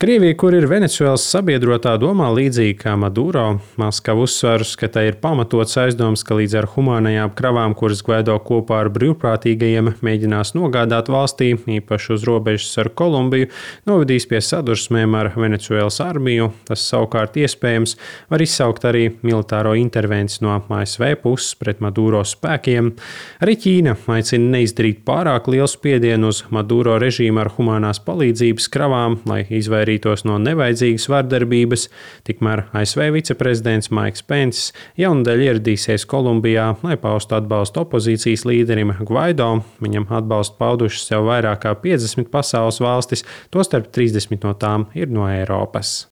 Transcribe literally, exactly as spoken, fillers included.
Krievija, kur ir Venecuēlas sabiedrotā, domā līdzīgi kā Maduro. Maskava uzsver, ka tai ir pamatots aizdoms, ka līdz ar humānajām kravām, kuras Gvaido kopā ar brīvprātīgajiem mēģinās nogādāt valstī, īpaši uz robežas ar Kolumbiju, novedīs pie sadursmēm ar Venecuēlas armiju. Tas savukārt iespējams var izsaukt arī militāro intervenciju no A S V puses pret Maduro spēkiem. Arī Ķīna aicina neizdarīt pārāk lielu spiedienu uz Maduro režīmu ar humānās palīdzības kravām, lai izvairītos no nevajadzīgas vardarbības. Tikmēr A S V viceprezidents Maiks Penss jaunadēļ ieradīsies Kolumbijā, lai paustu atbalstu opozīcijas līderim Gvaido. Viņam atbalstu paudušas jau vairāk kā piecdesmit pasaules valstis, tostarp trīsdesmit no tām ir no Eiropas.